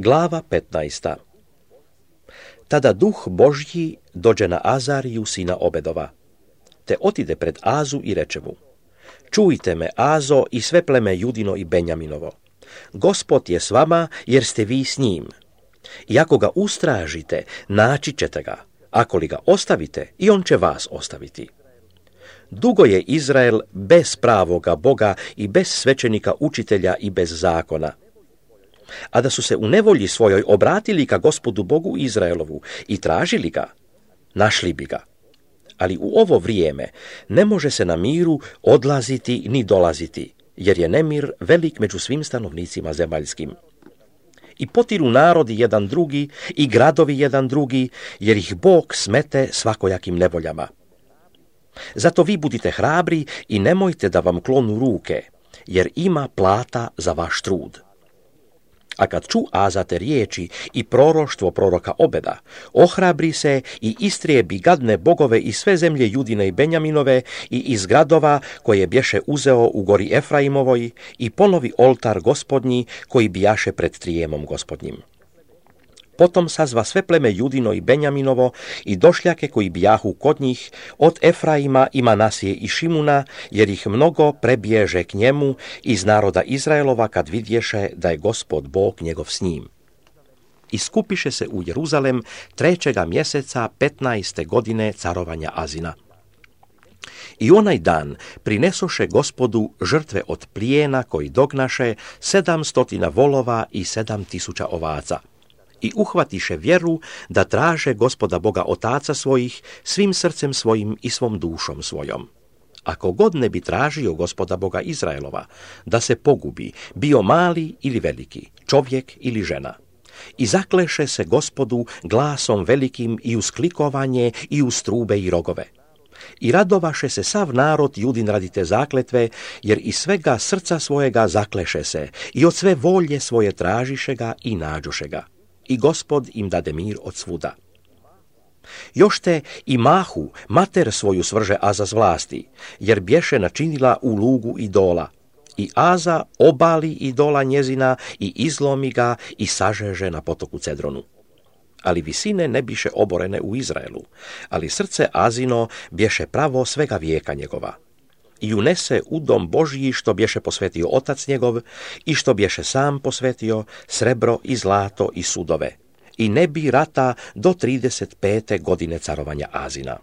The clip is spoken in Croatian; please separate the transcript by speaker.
Speaker 1: Glava 15. Tada duh Božji dođe na Azariju sina Obedova, te otide pred Azu i reče mu: Čujte me, Azo, i sve pleme Judino i Benjaminovo. Gospod je s vama, jer ste vi s njim. I ako ga ustražite, naći ćete ga. Ako li ga ostavite, i on će vas ostaviti. Dugo je Izrael bez pravoga Boga i bez svećenika učitelja i bez zakona. A da su se u nevolji svojoj obratili ka Gospodu Bogu Izraelovu i tražili ga, našli bi ga. Ali u ovo vrijeme ne može se na miru odlaziti ni dolaziti, jer je nemir velik među svim stanovnicima zemaljskim. I potiru narodi jedan drugi i gradovi jedan drugi, jer ih Bog smete svakojakim nevoljama. Zato vi budite hrabri i nemojte da vam klonu ruke, jer ima plata za vaš trud. A kad ču Aza te riječi i proroštvo proroka Obeda, ohrabri se i istrijebi gadne bogove iz sve zemlje Judine i Benjaminove i iz gradova koje bješe uzeo u gori Efraimovoj i ponovi oltar Gospodnji koji bijaše pred trijemom Gospodnjim. Potom sazva sve pleme Judino i Benjaminovo i došljake koji bijahu kod njih od Efraima i Manasije i Šimuna, jer ih mnogo prebježe k njemu iz naroda Izraelova kad vidješe da je Gospod Bog njegov s njim. I skupiše se u Jeruzalem 3. mjeseca 15. godine carovanja Azina. I onaj dan prinesoše Gospodu žrtve od plijena koji dognaše 700 volova i 7000 ovaca. I uhvatiše vjeru da traže Gospoda Boga otaca svojih svim srcem svojim i svom dušom svojom. Ako god ne bi tražio Gospoda Boga Izraelova, da se pogubi, bio mali ili veliki, čovjek ili žena. I zakleše se Gospodu glasom velikim i uz klikovanje i uz trube i rogove. I radovaše se sav narod Judin radi te zakletve, jer iz svega srca svojega zakleše se i od sve volje svoje tražiše ga i nađoše ga. I Gospod im dade mir od svuda. Još te i Mahu, mater svoju svrže Aza s vlasti, jer bješe načinila u lugu idola. I Aza obali idola njezina i izlomi ga i sažeže na potoku Cedronu. Ali visine ne biše oborene u Izraelu, ali srce Azino bješe pravo svega vijeka njegova. I unese u dom Božji što bješe posvetio otac njegov i što bješe sam posvetio srebro i zlato i sudove. I ne bi rata do 35. godine carovanja Azina.